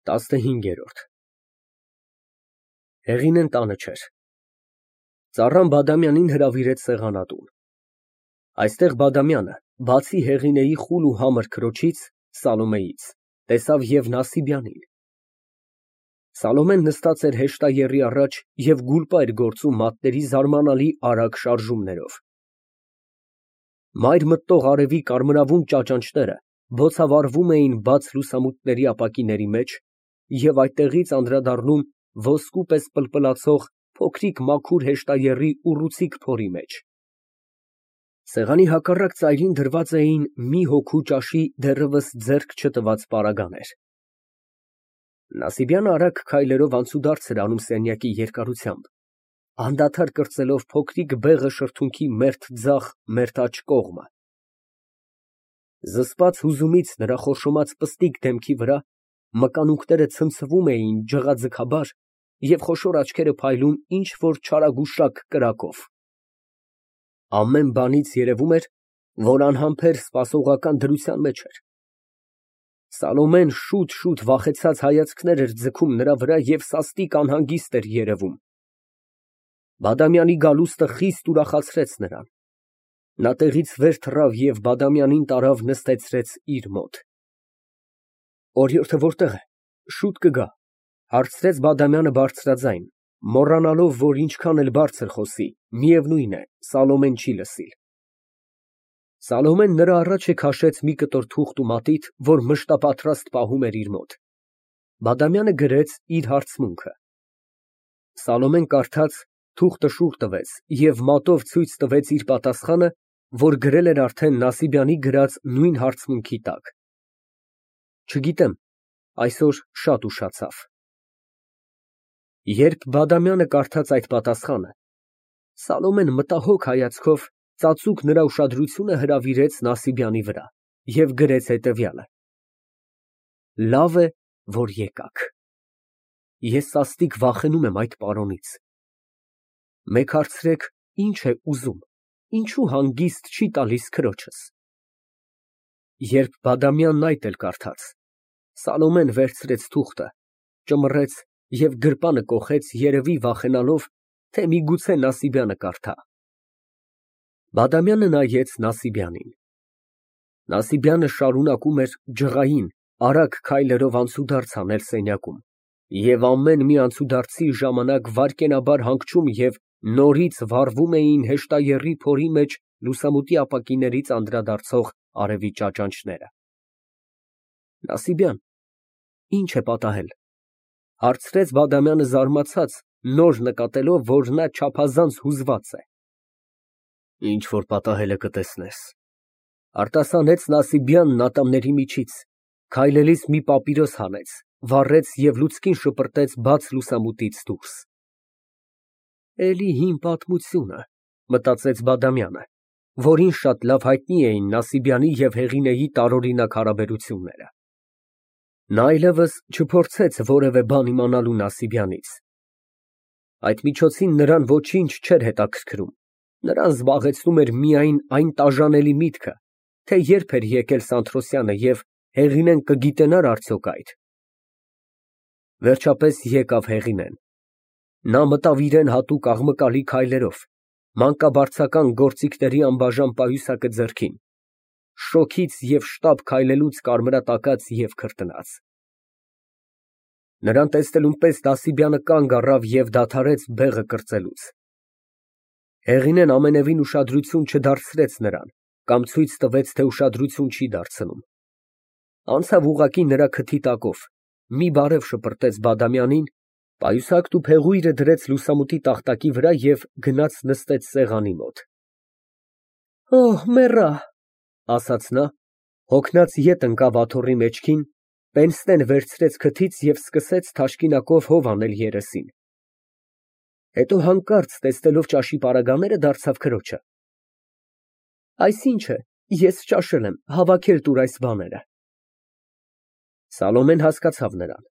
15։ Հեղինեն տանը չէր։ Ծառան Բադամյանին հրավիրեց սեղանատուն։ Այստեղ Բադամյանը, բացի Հեղինեի խուլ ու համր քրոջից, Սալոմեից, տեսավ և Նասիբյանին։ Սալոմեն նստած էր հեշտաեռի առաջ և գուլպա էր գործում մատների զարմանալի արագ շարժումներով։ Մայր մտնող արևի կարմրավուն ճաճանճները բոցավառվում էին բաց լուսամուտների ապակիների մեջ և այդտեղից անդրադառնում ոսկու պես պլպլացող փոքրիկ մաքուր հեշտաեռի ուռուցիկ փորի մեջ։ Սեղանի հակառակ ծայրին դրված էին մի հոգու ճաշի դեռևս ձեռք չտված պարագաներ։ Նասիբյանը արագ քայլերով անցուդարձ էր անում սենյակի երկարությամբ, անդադար կրծելով փոքրիկ բեղը շրթունքի մերթ ձախ, մերթ աջ կողմը։ Զսպած հուզումից նրա խորշոմած պստիկ դեմքի վրա մկանունքները ցնցվում էին ջղաձգաբար և խոշոր աչքերը փայլում ինչ֊որ չարագուշակ կրակով։ Ամեն բանից երևում էր, որ անհամբեր սպասողական դրության մեջ էր։ Սալոմեն շուտ վախեցած հայացքներ էր ձգում նրա վրա և սաստիկ անհանգիստ էր երևում։ Բադամյանի գալուստը խիստ ուրախացրեց նրան։ Նա տեղից վեր թռավ և Բադամյանին տարավ նստեցրեց իր մոտ։ Օրիորդը որտե՞ղ է, շուտ կգա, հարցրեց Բադամյանը բարձրաձայն, մոռանալով, որ ինչքան էլ բարձր խոսի, միևնույն է, Սալոմեն չի լսիլ։ Սալոմեն նրա առաջ քաշեց մի կտոր թուղթ ու մատիտ, որ մշտապատրաստ պահում էր իր մոտ։ Բադամյանը գրեց իր հարցմունքը։ Սալոմեն կարդաց, թուղթը շուռ տվեց և մատով ցույց տվեց իր պատասխանը, որ գրել էր արդեն Նասիբյանի գրած նույն հարցմունքի տակ։ Չգիտեմ, այսօր շատ ուշացավ։ Երբ Բադամյանը կարդաց այդ պատասխանը, Սալոմեն մտահոգ հայացքով ծածուկ նրա ուշադրությունը հրավիրեց Նասիբյանի վրա և գրեց հետևյալը. Լավ է, որ եկաք։ Ես սաստիկ վախենում եմ այդ պարոնից։ Մեկ հարցրեք, ինչ է ուզում, ինչու հանգիստ չի տալիս քրոջս։ Երբ Բադամյանն այդ էլ կարդաց, Սալոմեն վերցրեց թուղթը, ճմռեց և գրպանը կոխեց, երևի վախենալով, թե միգուցե Նասիբյանը կարդա։ Բադամյանը նայեց Նասիբյանին։ Նասիբյանը շարունակում էր ջղային, արագ քայլերով անցուդարձ անել սենյակում և ամեն մի անցուդարձի ժամանակ վայրկենաբար հանգչում և նորից վառվում էին հեշտաեռի փորի մեջ լուսամուտի ապակիներից անդրադարձող արևի ճաճանճները։ Նասիբյան, ի՞նչ է պատահել, հարցրեց Բադամյանը զարմացած, նոր նկատելով, որ նա չափազանց հուզված է։ Ինչ որ պատահել է, կտեսնես, արտասանեց Նասիբյանն ատամների միջից, քայլելիս մի պապիրոս հանեց, վառեց և լուցկին շպրտեց բաց լուսամուտից դուրս։ Էլի հին պատմությունը, մտածեց Բադամյանը, որին շատ լավ հայտնի էին Նասիբյանի և Հեղինեի տարօրինակ հարաբերությունները։ Նա այլևս չփորձեց որևէ բան իմանալու Նասիբյանից։ Այդ միջոցին նրան ոչինչ չէր հետաքրքրում, նրան զբաղեցնում էր միայն այն տաժանելի միտքը, թե երբ էր եկել Սանթրոսյանը և Հեղինեն կգիտենա՞ր արդյոք այդ։ Վերջապես եկավ Հեղինեն։ Նա մտավ իրան հատուկ աղմկալի քայլերով, մանկաբարձական գործիքների անբաժան պայուսակը ձեռքին, շոգից և շտապ քայլելուց կարմրատակած և քրտնած։ Նրան տեսնելուն պես Նասիբյանը կանգ առավ և դադարեց բեղը կրծելուց։ Հեղինեն ամենևին ուշադրություն չդարձրեց նրան կամ ցույց տվեց, թե ուշադրություն չի դարձնում։ Անցավ ուղղակի նրա քթի տակով, մի բարև շպրտեց Բադամյանին, պայուսակն ու փեղույրը դրեց լուսամուտի տախտակի վրա և գնաց նստեց սեղանի մոտ։ Օհ, մեռա, ասաց նա, հոգնած ետ ընկավ աթոռի մեջքին, պենսնեն վերցրեց քթից և սկսեց թաշկինակով հով անել երեսին։ Հետո հանկարծ տեսնելով ճաշի պարագաները, դարձավ քրոջը. Այս ի՞նչ է, ես ճաշել եմ, հավաքել տուր այս բաները։ Սալոմեն հասկացավ նրան։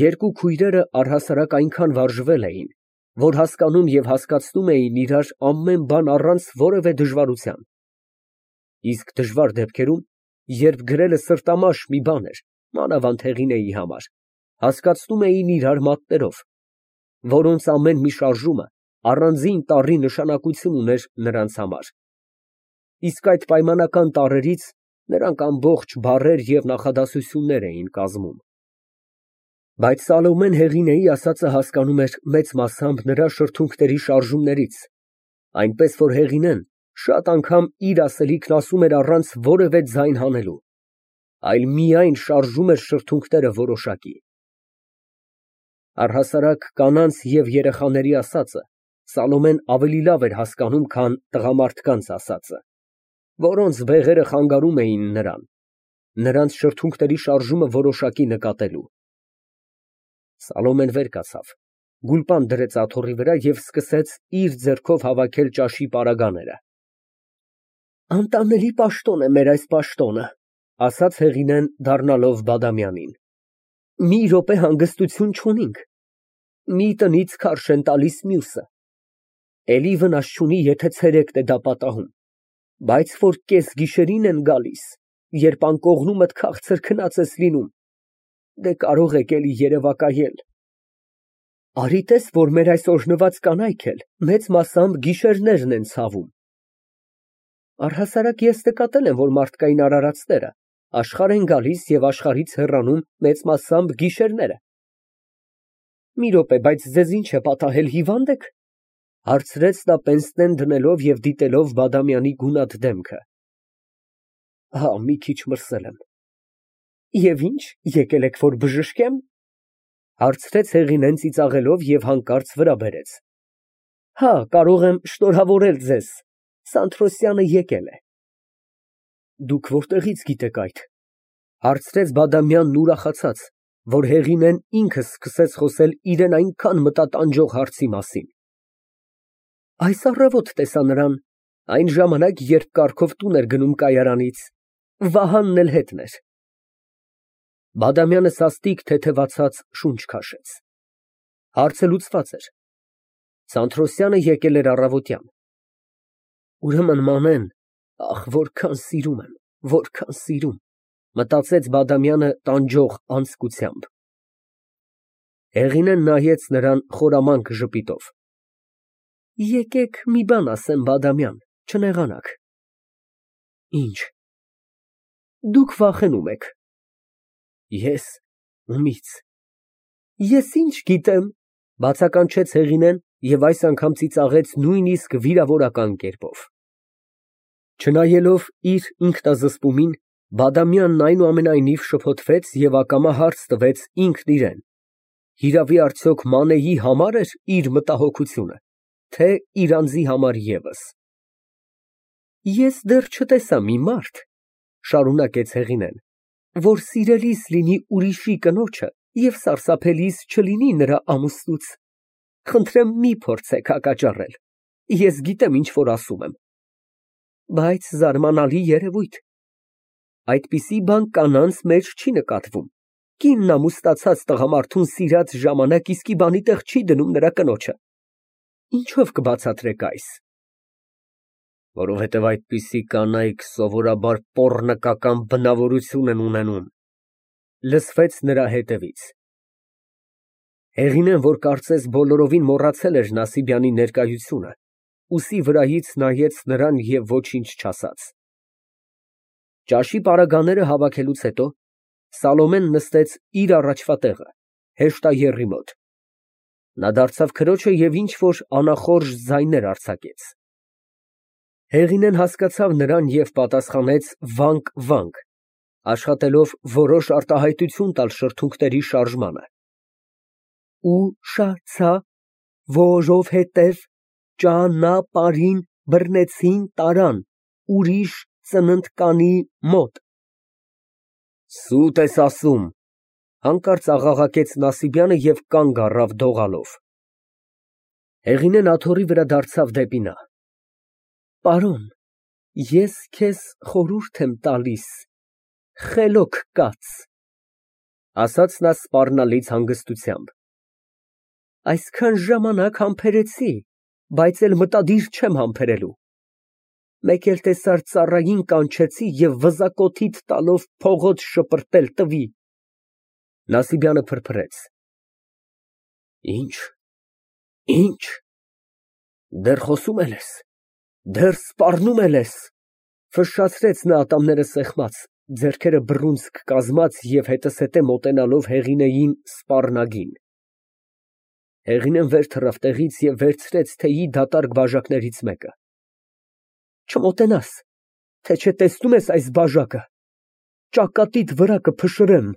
Երկու քույրերը առհասարակ այնքան վարժվել էին, որ հասկանում և հասկացնում էին իրար ամեն բան առանց որևէ դժվարության։ Իսկ դժվար դեպքերում, երբ գրելը սրտամաշ մի բան էր, մանավանդ Հեղինեի համար, հասկացնում էին իրար մատներով, որոնց ամեն մի շարժումը առանձին տառի նշանակություն ուներ նրանց համար, իսկ այդ պայմանական տառերից նրանք ամբողջ բառեր և նախադասություններ էին կազմում։ Բայց Սալոմեն Հեղինեի ասածը հասկանում էր մեծ մասամբ նրա շրթունքների շարժումներից, այնպես որ Հեղինեն շատ անգամ իր ասելիքն ասում էր առանց որևէ ձայն հանելու, այլ միայն շարժում էր շրթունքները որոշակի։ Առհասարակ կանանց և երեխաների ասածը Սալոմեն ավելի լավ էր հասկանում, քան տղամարդկանց ասածը, որոնց բեղերը խանգարում էին նրանց շրթունքների շարժումը որոշակի նկատելու։ Սալոմեն վեր կացավ, գուլպան դրեց աթոռի վրա և սկսեց իր ձեռքով հավաքել ճաշի պարագաները։ Անտանելի պաշտոն է մեր այս պաշտոնը, ասաց Հեղինեն, դառնալով Բադամյանին։ Մի րոպե հանգստություն չունենք։ Մի տնից քարշ են տալիս մյուսը։ Էլի վնաս չունի, եթե ցերեկն է դա պատահում, բայց որ կեսգիշերին են գալիս, երբ անկողնումդ քաղցր քնած ես լինում, դե կարող եք էլի երևակայել։ Արի տես, որ մեր այս օրհնված կանայք էլ մեծ մասամբ գիշերներն են ցավում։ Առհասարակ ես նկատել եմ, որ մարդկային արարածները աշխարհ են գալիս և աշխարհից հեռանում մեծ մասամբ գիշերները։ Մի րոպե, բայց ձեզ ինչ է պատահել, հիվա՞նդ եք, հարցրեց նա պենսնեն դնելով և դիտելով Բադամյանի գունատ դեմքը։ Հա, մի քիչ մրսել եմ։ Եվ ինչ, եկել եք, որ բժշկեմ, հարցրեց Հեղինեն ծիծաղելով և հանկարծ վրա բերեց։ Հա, կարող եմ շնորհավորել ձեզ, Սանթրոսյանը եկել է։ Դուք որտեղից գիտեք այդ, հարցրեց Բադամյանն ուրախացած, որ Հեղինեն ինքը սկսեց խոսել իրան այնքան մտատանջող հարցի մասին։ Այս առավոտ տեսա նրան, այն ժամանակ, երբ կառքով տուն էր գնում կայարանից, Վահանն էլ հետն էր։ Բադամյանը սաստիկ թեթևացած շունչ քաշեց։ Հարցը լուծված էր։ Սանթրոսյանը եկել էր առավոտյան։ Ուրեմն Մանեն, ախ, որքան սիրում եմ, որքան սիրում, մտածեց Բադամյանը տանջող անձկությամբ։ Հեղինեն նայեց նրան խորամանկ ժպիտով։ Եկեք մի բան ասեմ, Բադամյան, չնեղանաք։ Ինչ։ Դուք վախենում եք։ Ես, ումից։ Ես ինչ գիտեմ, բացականչեց Հեղինեն և այս անգամ ծիծաղեց նույնիսկ վիրավորական կերպով։ Չնայելով իր ինքնազսպումին, Բադամյանն այնուամենայնիվ շփոթվեց և ակամա հարց տվեց ինքն իրեն. հիրավի արդյոք Մանեի համար էր իր մտահոգությունը, թե իր անձի համար ևս։ Ես դեռ չտեսա մի մարդ, շարունակեց Հեղինեն, որ սիրելիս լինի ուրիշի կնոջը և սարսափելիս չլինի նրա ամուսնուց։ Խնդրեմ, մի փորձեք հակաճառել, ես գիտեմ, ինչ որ ասում եմ։ Բայց զարմանալի երևույթ։ Այդպիսի բան կանանց մեջ չի նկատվում։ Կինն ամուսնացած տղամարդուն սիրած ժամանակ իսկի բանի տեղ չի դնում նրա կնոջը։ Ինչով կբացատրեք այս։ Որովհետև այդպիսի կանայք սովորաբար պոռնկական բնավորություն են ունենում, լսվեց նրա հետևից։ Հեղինեն, որ կարծես բոլորովին մոռացել էր Նասիբյանի ներկայությունը, ուսի վրայից նայեց նրան և ոչինչ չասաց։ Ճաշի պարագաները հավաքելուց հետո Սալոմեն նստեց իր առաջվա տեղը, հեշտաեռի մոտ։ Նա դարձավ քրոջը և ինչ֊որ անախորժ ձայներ արձակեց։ Հեղինեն հասկացավ նրան և պատասխանեց վանք, աշխատելով որոշ արտահայտություն տալ շրթունքների շարժմանը։ Ուշացա, որովհետև ճանապարհին բռնեցին տարան ուրիշ ծննդկանի մոտ։ Սուտ ես ասում, հանկարծ աղաղակեց Նասիբյանը և կանգ առավ դողալով։ Հեղինեն աթոռի վրա դարձավ դեպի նա։ Պարոն, ես քեզ խորհուրդ եմ տալիս, խելոք կաց, ասաց նա սպառնալից հանգստությամբ։ Այսքան ժամանակ համբերեցի, բայց էլ մտադիր չեմ համբերելու։ Մեկ էլ տեսար ծառային կանչեցի և վզակոթիդ տալով փողոց շպրտել տվի։ Նասիբյանը փրփրեց։ Ինչ, ինչ, դեռ խոսում ես, դեռ սպառնում ես, ֆշշացրեց նա ատամները սեղմած, ձեռքերը բռունցք կազմած և հետզհետե մոտենալով Հեղինեին սպառնագին։ Հեղինեն վեր թռավ տեղից և վերցրեց թեյի դատարկ բաժակներից մեկը։ Չմոտենաս, թե չէ տեսնո՞ւմ ես այս բաժակը, ճակատիդ վրա կփշրեմ։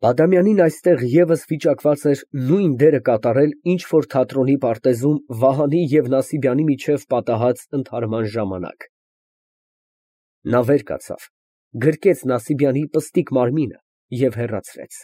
Բադամյանին այստեղ ևս վիճակված էր նույն դերը կատարել, ինչ որ թատրոնի պարտեզում Վահանի և Նասիբյանի միջև պատահած ընդհարման ժամանակ։ Նա վեր կացավ, գրկեց Նասիբյանի պստիկ մարմինը և հեռացրեց։